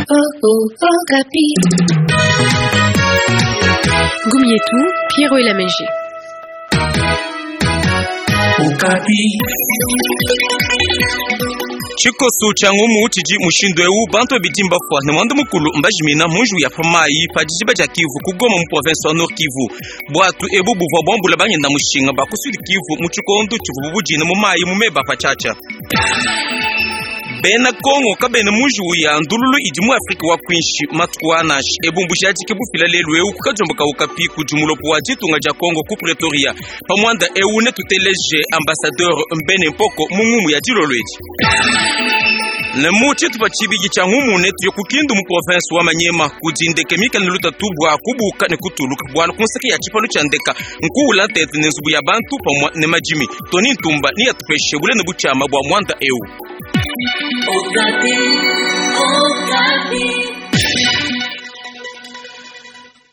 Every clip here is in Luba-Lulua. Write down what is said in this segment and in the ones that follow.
Okapi. Gumietou, Pierrot Elameji. Okapi. Tshikosu tshia ngumu tshidi mushindu eu bantu babidi mbafua ne muanda mukulu mbajimina mu njiwu ya pa mayi pa dijiba dia Kivu ku Goma mu province wa Nord Kivu. Buatu ebu buvua buambula bangenda mushinga ba ku Sud Kivu mu tshikondo tshivubu budine mu mayi mu meba patshiatshia. Bena Kongo kabena mu njiwu ya ndululu idi mu Afrika wa kuinshi matuku a nansha. Ebu mbujadiki bufila lelu eu ku kadiombo ka Okapi kudi mulopo wa ditunga dia Kongo ku Pretoria. Pa muanda eu netuteleje ambassadeur Mbene Mpoko mu ngumu ya dilolo edi. Ne mu tshitupa tshibidi tshia ngumu netuye ku Kindu mu province wa Maniema kudi ndeke mikale ne lutatu bua kubuka ne kutuluka bualu ku nseke ya tshipalu tshia ndeka nkuula ntete ne nzubu ya bantu pamue ne madimi. Tony Ntumba neyatupeshe bule ne butshiama bua muanda eu. Okapi. Okapi.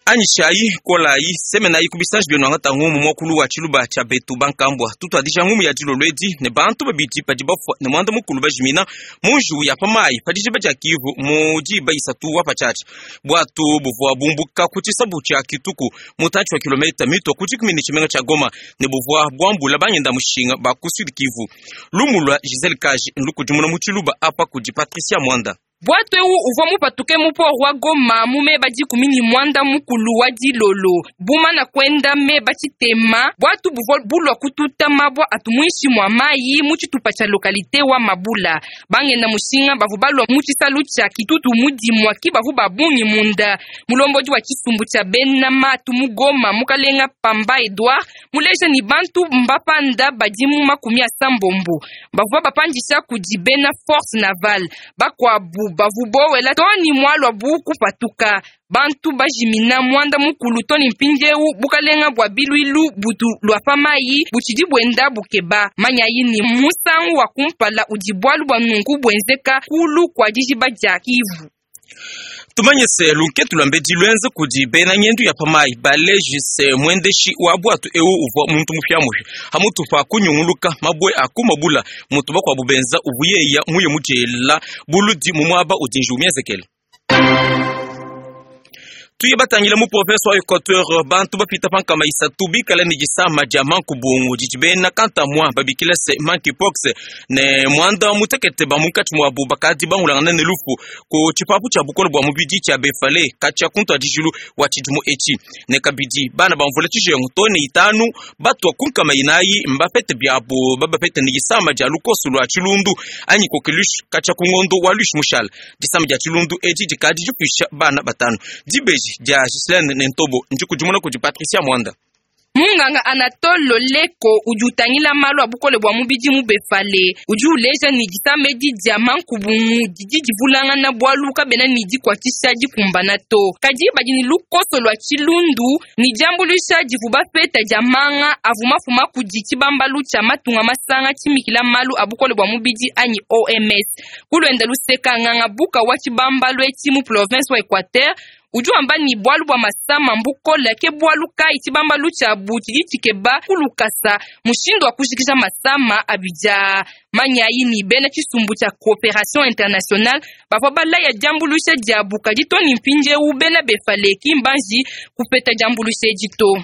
Anyishayi kolayi semenayi ku bisanji bienu angata ngumu muakulu wa tshiluba tshia betu bankambua. Tutuadija ngumu ya dilolo edi ne bantu babidi badi bafua ne muanda mukulu bajimina mu njiwu ya pa mayi pa dijiba dia Kivu mu diba isatu wa patshiatshia. Buatu buvua bumbuka ku tshisabu tshia Kituku mutantshi wa kilomita mitua ku dikumi ne tshimenga tshia Goma ne buvua buambula bangenda mushinga ba ku Sud Kivu. Lumu lua Giselle Kaji ndukudimuna mu tshiluba apa kudi Patricia Mwanda. Bwato eu uvua mupatuke mu port wa Goma mu meba 19 wa dilolo bumana kwenda meba tshitema bwatu buvua bulua kututa mabwa atu muinshi mua mayi mu tshitupa tshia localité wa Mabula. Bangenda mushinga bavua balua mu tshisalu tshia Kitutu mu dimua ki bavua ba bungi munda. Mulombodi wa tshisumbu tshia bena matu mu Goma mukalenga Pamba Edouard muleja ni bantu mbapanda badi mu 80 bavua bapandisha kudi bena force navale bakuabu bavu bowela toni mwalwa bu kupatuka bantu bajimina mwanda mukulu toni mpindieu bukalenga bua bilwilu butu lua pa mayi butshidi buenda bukeba manyayi ni musangu wa kumpala udi bualu bua nunku buenzeka kulu kua dijiba dia Kivu. Tumanye se lunketu lua mbedi luenza kudi bena ngendu ya pa mayi baleji se muendeshi wa bwatu eu uvua muntu mupiamupi hamutu pa kunyunguluka mabue a ku mabula mutu bakuabu benza uvuyeya muye mujela buludi mu muaba udi njiwu mienzekele. Tuye batangila mu province wa Equateur bantu bapita pa nkama isatu bikala ne disama dia mankubungu didi bena kantamua babikila se monkeypox ne muanda mutekete ba munkatshi muabu bakadi bangulangana ne lufu ku tshipapu tshia bukole bua mubidi tshia Befale katshia ku ntuadijilu wa tshidimu etshi. Ne kabidi bana ba mvula tshijengu to ne itanu batua ku nkama inayi mbapete biabu babapete ne disama dia lukoso lua tshilundu anyi coqueluche katshia ku ngondo wa luishi mushala. Disama dia tshilundu edi dikadi difuisha bana batanu. Dibeji dia Gislaine Nentobo ndikudimuna kudi Patricia Mwanda. Munganga Anatole Loleko udi utangila malu a bukole bua mubidi mu Befale udi uleja ne disama edi dia mankubungu didi divulangana bualu kabena ne dikuatshisha dikumbana to, kadi badi ne lukoso lua tshilundu ne diambuluisha divu bapeta dia manga avu mafuma kudi tshibambalu tshia matunga masanga tshimikila malu a bukole bua mubidi anyi OMS. Kuluenda luseka nganga buka wa tshibambalu etshi mu province wa Equateur udi wamba ni bualu bua masama mbukole ke bualu kayi tshibambalu tshiabu tshidi tshikeba kulukasa mushindu wa kujikija masama abidia. Manyayi ni bena tshisumbu tshia coopération internationale bavua balaya diambuluisha diabu kadi to ni mpindieu bena Befale ki mbanji kupeta diambuluisha edi to.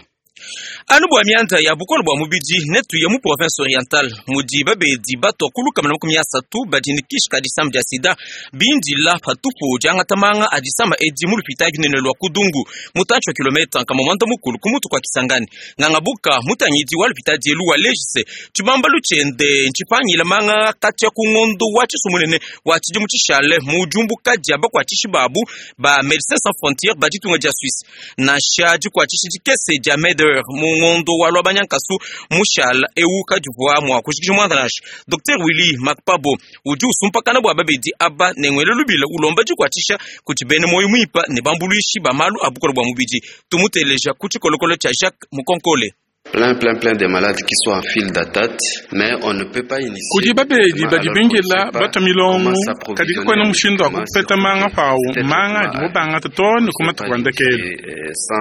Anu bua mianda ya bukole bua mubidi netuye mu province orientale mudi babedi batua ku 130 badi ne kishi ka disama dia sida bindila patupu diangata manga a disama edi mu lupitadi lunene lua Kudungu mutantshi wa kilomita 90 ku mutu kua Kisangani. Nganga buka mutangidi wa lupitadi elu waleji se tshibambalu tshiende ntshipangila manga katshia ku ngondo wa tshisumunene wa tshidimu tshishale mu diumbuka dia bakuatshishi babu ba Medecins Sans Frontieres ba ditunga dia Suisse. Nansha dikuatshishi dikese dia MEDER mu ngondo wa lua banyankasu mushala eu kadivua mua kujikija muanda nansha. Dr Willy Makpabo udi usumpakana bua babedi aba ne ngwele lubila ulomba dikuatshisha kudi bena moyo muimpe ne bambuluishi ba malu a bukole bua mubidi. Tumuteleja ku tshikolokolo tshia Jacques Mukonkole. Plein, plein, plein de malades qui sont en file d'attente, mais on ne peut pas initier. Kudi babedi badi bindila batua milongo, kadi kakuena mushindu wa kupeta manga pawu manga adibo bangata too ne ku matuku a ndekelu.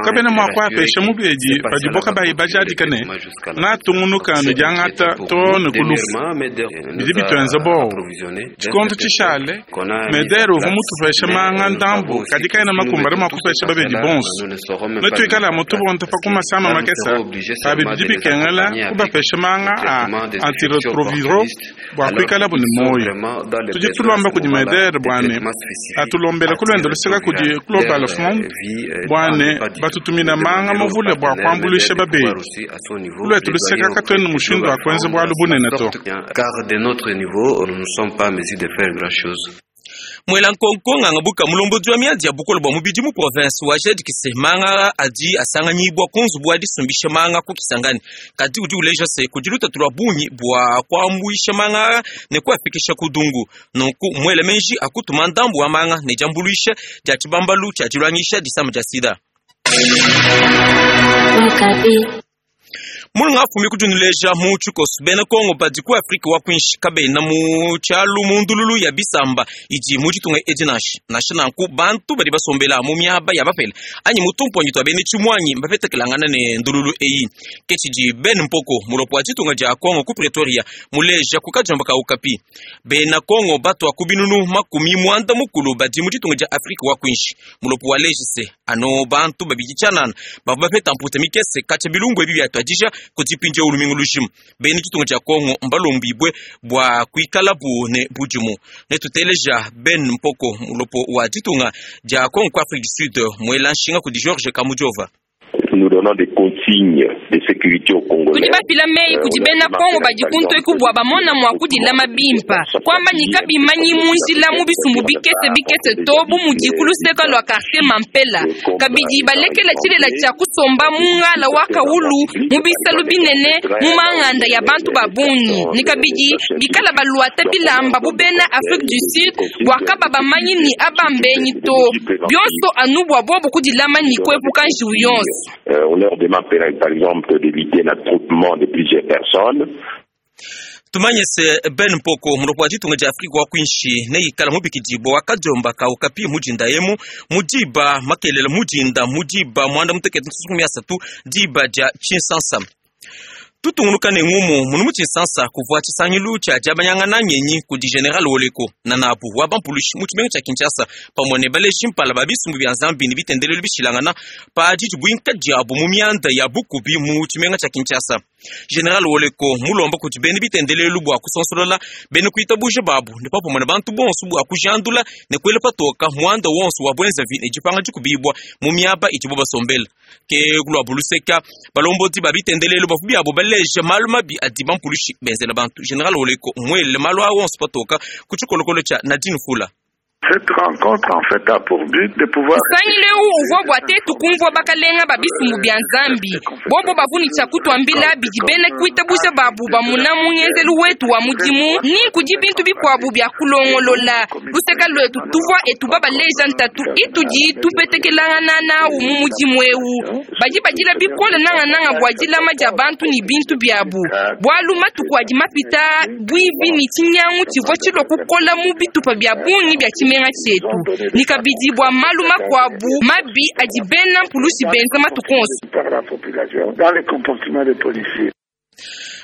Kabena mua kuapesha mubedi padibo kabayi bajadika ne, natungunuka ne diangata too ne ku lufu. Bidi bituenza buowa. Tshikondo tshishale, Medere uvua mutupeshe manga ndambu, kadi kaena makumbane mua kupesha babedi bonso. Netuikale amu tubonda pa ku masama makese, pabi bidi bikengela kubapesha manga a antiretroviraux bua kuikalabu ne muoyo. Tudi tulomba kudi Medere bua ne, atulombele ku luende luseke kudi Global Fund bua ne, batutumine manga mavule bua kuambuluisha babedi. Ku luetu luseke katuena ne mushindu wa kuenza bualu bunene to. Car de notre niveau, nous ne sommes pas en mesure de faire grand chose. Muela nkonko nganga buka mulombodi wa miadi ya bukole bua mubidi mu province wa jadikise manga adi asanganyibua ku nzubu wa disumbisha manga ku Kisangani, kadi udi uleja se kudi lutatu lua bungi bua kuambuisha manga ne kuafikisha ku dungu. Nunku muele meji akutuma ndambu wa manga ne diambuluisha dia tshibambalu tshia diluangisha disama dia sida. Mulunga afumi kudinuleja mu tshikoso bena Kongo badi ku Afrika wa kuinshi kabena mu tshialu mu ndululu ya bisamba idi mu ditunga edi nansha. Nansha nanku bantu badi basombela mu miaba ya bapele anyi mu tumponyi tua bena tshimuangi mbapetekelangana ne ndululu eyi. Ke tshidi Ben Mpoko mulopo wa ditunga dia Kongo ku Pretoria muleja ku kadiomba ka Okapi. Bena Kongo batua ku binunu makumi muanda mukulu badi mu ditunga dia Afrika wa kuinshi. Mulopo waleji se ano bantu babidi tshianana bavua bapeta mputa mikese katshia bilumbu ebi biatuadija kudi mpindieu lumingu lujima. Bena ditunga dia Kongo mbalombibue bua kuikalabu ne budimu. Netuteleja Ben Mpoko mulopo wa ditunga dia Kongo ku Afrique du Sud muela nshinga kudi Georges Kamujova. Nous donnons des consignes de sécurité aux Congolais. Tudi bafila meyi kudi bena Kongo badi kuntu eku bua bamona mua kudilama bimpa, kuamba ne kabimanyi mu njila mu bisumbu bikese bikese to bu mudi ku luseka lua quartier Mampela. Kabidi balekela tshilela tshia kusomba mu ngala wa kawulu mu bisalu binene mu manganda ya bantu ba bungi, ne kabidi bikala baluata bilamba bu bena Afrique du Sud bua kaba bamanyi ne aba mbenyi to. Bionso anu bua bobu kudilama ne kuepuka njiwu yonso. On leur demande par exemple d'éviter l'attroupement de plusieurs personnes. Tumanye se Ben Mpoko mulopo wa ditunga dia Afrika wa kuinshi neikala mubikidibua wa kadiomba ka Okapi mudinda emu mudiba makelela mudinda mudiba muanda mutekete nsusu asatu diba dia tshinsansa. Tutungunuka ne ngumu munu mu tshinsansa kuvua tshisangilu tshia diabanyangana ngenyi kudi General Woleko na nabu wa bampulushi mu tshimenga tshia Kinshasa pamue ne baleji mpala ba bisumbu bia Nzambi ne bitendelelu bishilangana pa didibuinka diabu mu mianda ya bukubi mu tshimenga tshia Kinshasa. General Woleko mulomba kudi bena bitendelelu bua kusonsolola bena kuitabuja babu ne papamue ne bantu bonso bua kujandula ne kuela patoka muanda wonso wa bwenzavi ne dipanga dikubibua mu miaba idibo basombela. Ke kuluabu luseka balombodi ba bitendelelu bavua biabo baleja malu mabi adi bampulushi benzela bantu. General Woleko muele malu a wonso patoka ku tshikolokolo tshia Nadine Fula. Cette rencontre en fait a pour but de pouvoir Nsangilu eu uvua bua tetu kumvua bakalenga ba bisumbu bia Nzambi bobo bavua ne tshia kutuambila bidi bena kuitabuja babu bamuna mu ngenzelu wetu wa mudimu ni kudi bintu bikuabu bia kulongolola. Luseka luetu tuvua etuba baleja ntatu itudi tupetekelangana nawu mu mudimu eu. Badi badila bikole nangananga bua dilama dia bantu ne bintu biabu, bualu matuku adi mapita buivi ne tshinyangu tshivua tshilua kukola mu bitupa bia bungi bia tshimenga tshietu, ne kabidi bua malu makuabu mabi adi bena mpulushi benza matuku onso. par la population dans les comportements des policiers.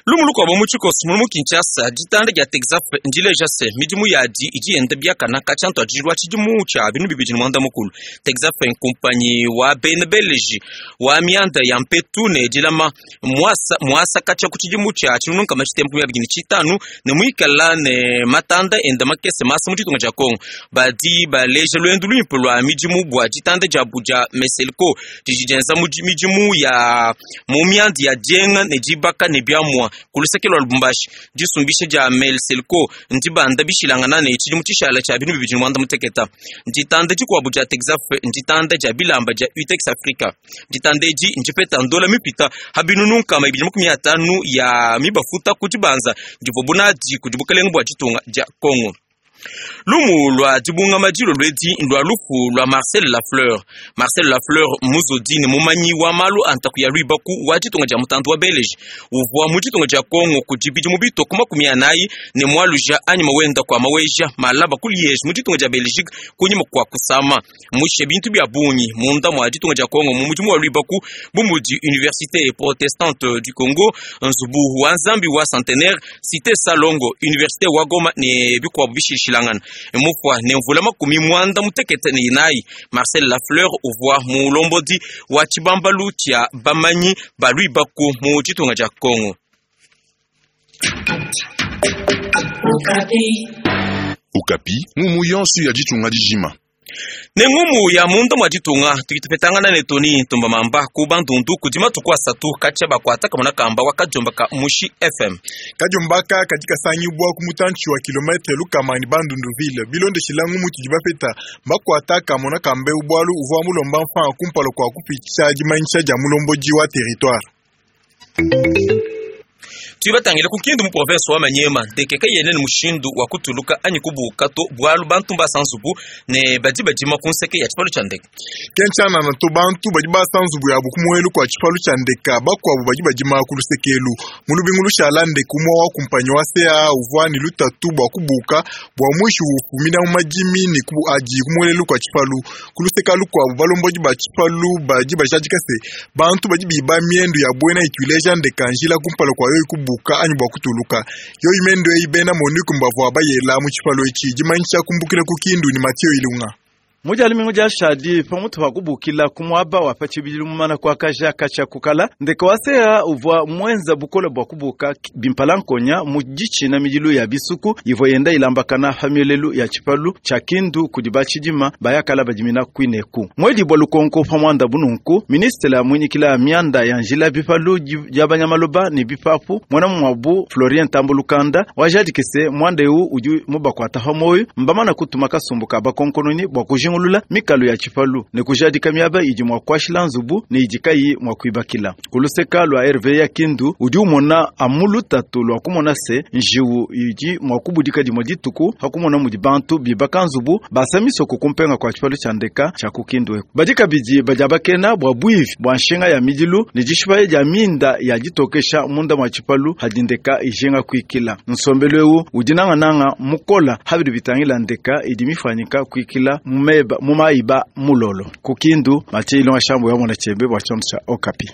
Lumu lukuabo mu tshikoso munu mu Kinshasa ditanda dia Texaf ndileja se midimu yadi idi yenda biakana katshia ntuadijilu wa tshidimu tshia binu bibidi ne muanda mukulu. Texaf nkumpanyi wa bena beleji wa mianda ya mpetu ne dilama muasa muasa katshia ku tshidimu tshia tshinunu nkama tshitembu ya bibidi ne tshitanu ne muikala ne matanda enda makese masa mu ditunga dia Kongo. Badi baleja luendu luimpe lua midimu bua ditanda diabu dia Meselco didi dienza midimu ya mu mianda ya dienga ne dibaka ne biamua ku luseke lua Lubumbashi. Disumbisha dia Melselco ndibanda bishilangana ne tshidimu tshishala tshia binu bibidi ne muanda muteketa. Nditanda dikuabu dia Texaf nditanda dia bilamba dia Utex Africa. Nditanda edi ndipeta ndola mipita ha binunu nkama ibidi makumi atanu ya mibafuta ku dibanza divua bunadi kudi bukalenga bua ditunga dia Kongo. Lumu lua dibungama dilolo edi ndua lufu lua Marcel Lafleur. Marcel Lafleur muzodi ne mumanyi wa malu a ntaku ya luibaku wa ditunga dia mutandu wa Beleji uvua mu ditunga dia Kongo kudi bidimu bitue ku 40 ne mualuja anyima wenda kua maweja malaba ku Liege mu ditunga dia Belgique kunyima kua kusama mushe bintu bia bungi munda mua ditunga dia Kongo mu mudimu wa luibaku bu mudi Université Protestante du Congo, nzubu wa Nzambi wa Centenaire, Cité Salongo, Université wa Goma ne bikuabu bishilashilangana. Mufua ne mvula 94. Marcel Lafleur uvua mulombodi wa tshibambalu tshia bamanyi ba luibaku mu ditunga dia Kongo. Okapi ngumu yonso ya ditunga dijima. Ne ngumu ya munda mwa ditunga tukitupetangana ne Tony Ntumba Mamba ku Bandundu kudi matuku asatu katshia bakuata kamona kamba wa kadiomba ka Mushi FM. Kadiombaka kadi kasangibwa ku mutantshi wa kilometre lukama ne Bandundu ville bilondeshila ngumu tudi bapeta bakuata kamona kamba eu bualu uvua mulomba mfanga kumpala kua kupitsha dimanyisha dia mulombodi wa territoire. Tuibatangile ku Kindu mu province wa Maniema ndeke kayene ne mushindu wa kutuluka anyi kubuka to bualu bantu mbasa nzubu ne badi badima ku nseke ya tshipalu tshia ndeke. Kentshana to bantu badi basa nzubu yabu ku muelu kua tshipalu tshia ndeka bakuabu badi badima ku lusekelu. Mu lubingu lushala ndeke umue wa kumpanyi wa CAA uvua ne lutatu bua kubuka bua muishi ufumina mu madimi ne ku adi ku muelelu kua tshipalu. Ku luseka lukuabu balombodi ba tshipalu badi bajadika se bantu badi biba miendu ya buena itu ileja ndeka njila kumpala kua yoyi kubuka anyi bua kutuluka. Yoyi miendu eyi bena MONUC mbavua bayela mu tshipalu etshi dimanyisha kumbukila ku Kindu ne Mathieu Ilunga. Mujali mingu ja shadi pamutu pa kubukila ku muaba wa pa tshibidilu mumana kuakaja katshia kukala ndeke wa CAA uvua muenza bukole bua kubuka bimpala nkonya mu ditshina midilu ya bisuku ivua yenda ilambakana pa mielelu ya tshipalu tshia Kindu kudi batshidima bayakala badimina kuineku. Mwedibua lukonko pa muanda bununku ministre muinyikila mianda ya njila bipalu dia banyamaloba ne bipapu muena muabu Florien Tambulukanda wajadikise muanda eu udi mubakuata pa moyo mbamana kutuma kasumbu ka bakonkononi bua kujingulula mikalu ya tshipalu ne kujadika miaba idi mua kuashila nzubu ne idi kayi mua kuibakila. Kuluseka lua RV ya Kindu udi umona amu lutatu lua kumona se njiwu idi mua kubudika dimue dituku hakumona mudi bantu bibaka nzubu basa misoko kumpenga kua tshipalu tshia ndeka tshia ku Kindu eku. Badi kabidi badiabakena bua buivi bua nshinga ya midilu ne dishipa dia minda ya ditokesha munda mua tshipalu hadi ndeka ijinga kuikila. Nsombelu eu udi nangananga mukola habidi bitangila ndeka idi mifanyika kuikila mumeba mumaiba mulolo. Ku Kindu Mathieu Ilonga Shambo ya mwana chembe bwa chonso cha Okapi.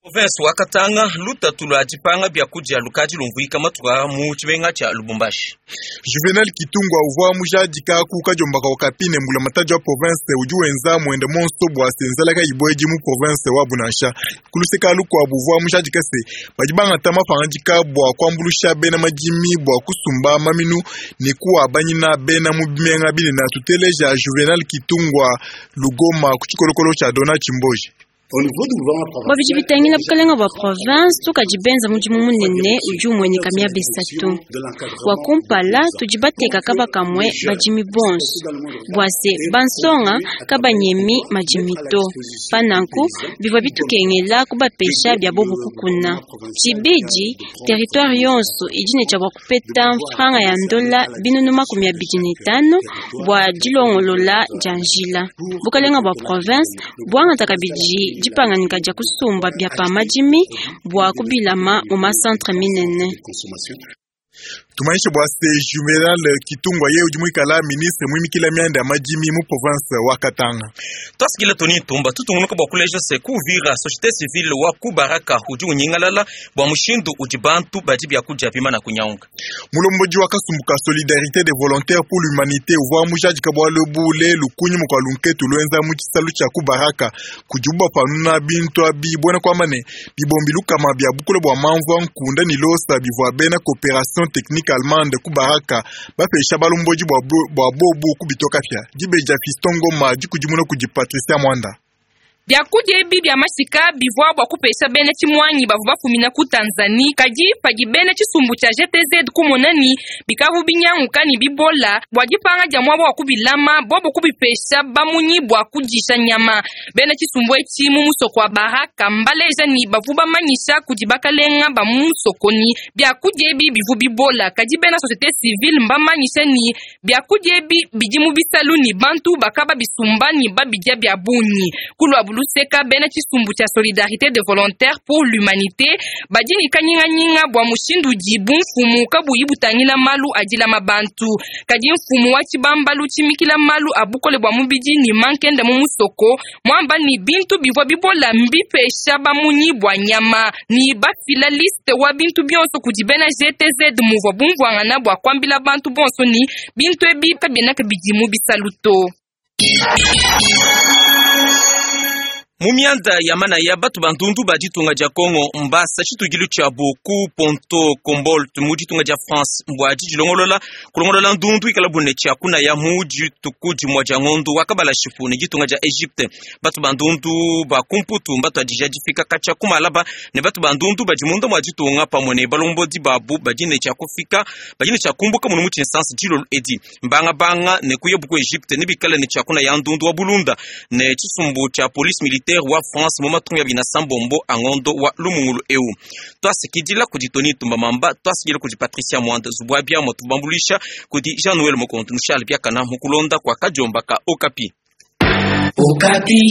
Province wa Katanga lutatu lua dipanga bia kudia lukadi lumvuika matuka mu tshimenga tshia Lubumbashi. Juvenal Kitungwa uvua mujadika ku kadiombaka Okapi ne mbulamatadi wa province udi wenza muende monso bua senzalaka ibuedi mu province wa Bunansha. Kuluseka lukuabu uvua mujadika se badi bangata mapangadika bua kuambulusha bena madimi bua kusumba maminu ne kuabanyina bena mu bimenga binene. Tuteleja Juvenal Kitungwa Lugoma ku tshikolokolo tshia Dona Chimboji. Bua bidi bitangila bukalenga bua province tukadi benza mudimu munene udi umueneka miaba isatu. Wa kumpala tudi bateka kaba kamue badimi bonso bua se bansonga kabanyemi madimi to. Pananku bivua bitukengela kubapesha bia bobu kukuna. Tshibidi territoire yonso idi ne tshia bua kupeta mfranga ya ndola binunu 25 bua dilongolola dia njila. Bukalenga bua province buangata kabidi dipanganyika dia kusumba bia pa madimi bua kubilama mu masantre minene. Tumanyishe bua se Juvenal Kitungwa ye udi muikala ministre muimikila mianda ya madimi mu province wa Katanga. Twasikila Tony Ntumba tutungunuka bua kuleja se ku Uvira société civile wa ku Baraka udi unyingalala bua mushindu udi bantu badi bia kudia bimana kunyaunga. Mulombodi wa kasumbu ka Solidarité des volontaires pour l'humanité uvua mujadika bualu bule lukunyima kua lunketu luenza mu tshisalu tshia ku Baraka kudibu bapanuna bintu abi buena kuamba ne bibombi lukama bia bukula bua mamvua nkunda ne losa bivua bena coopération technique allemande ku Baraka bapesha balombodi bua bobu kubitoka pia. Dibeja Fiston Ngoma dikudimuna kudi Patricia Mwanda. Biakudia ebi bia mashika bivua bua kupesha bena tshimuangi bavua bafumina ku Tanzanie, kadi padi bena tshisumbu tshia GTZ kumona ni bikavu binyanguka ne bibola bua dipanga dia muaba wa kubilama, bobo kubipesha bamunyi bua kudisha nyama. Bena tshisumbu etshi mu musoko wa Baraka mbaleja ni bavua bamanyisha kudi bakalenga ba mu musoko ni biakudia ebi bivua bibola, kadi bena société civile mbamanyisha ni biakudia ebi bidi mu bisalu ni bantu bakaba bisumba ni babidia bia bungi. Kulua luseka bena tshisumbu tshia Solidarité des volontaires pour l'humanité badi ne kanyinganyinga bua mushindu udi bumfumu kabuyi butangila malu adilama bantu, kadi mfumu wa tshibambalu tshimikila malu a bukole bua mubidi ne mankenda mu musoko muamba ni bintu bivua bibola mbipesha bamunyi bua nyama ni bafila liste wa bintu bionso kudi bena GTZ muvua bumvuangana bua kuambila bantu bonso ni bintu ebi kabiena kabidi mu bisalu to. Mu mianda ya manaya batu bandundu ba ditunga dia Congo mbasa tshitugilu tshiabu ku Ponto Combolt mu ditunga dia France mbua didilongolola kulongolola ndundu ikala bune tshia kunaya mu dituku dimua dia ngondo wa kabala shipu ne ditunga dia Egypte. Batu bandundu ba kumputu mbatu adija difika katshia kumalaba ne batu bandundu badi munda mua ditunga pamue ne balombodi babu badi ne tshia kufika badi ne tshia kumbuka munu mu tshinsansi dilolo edi mbanga banga ne kuya buku Egypte ne bikala ne tshia kunaya ndundu wa bulunda ne tshisumbu tshia police militaire wa France mu matunga ya bina sambombo angondo wa lumungulu eu. Twasikidila kudi Tony Tumba Mamba, twasikidila kudi Patricia Mwanda Zubwabia motubambulisha kudi Jean-Noël Mokontu Charles Biakana mukulonda kwa kajomba ka Okapi. Okapi.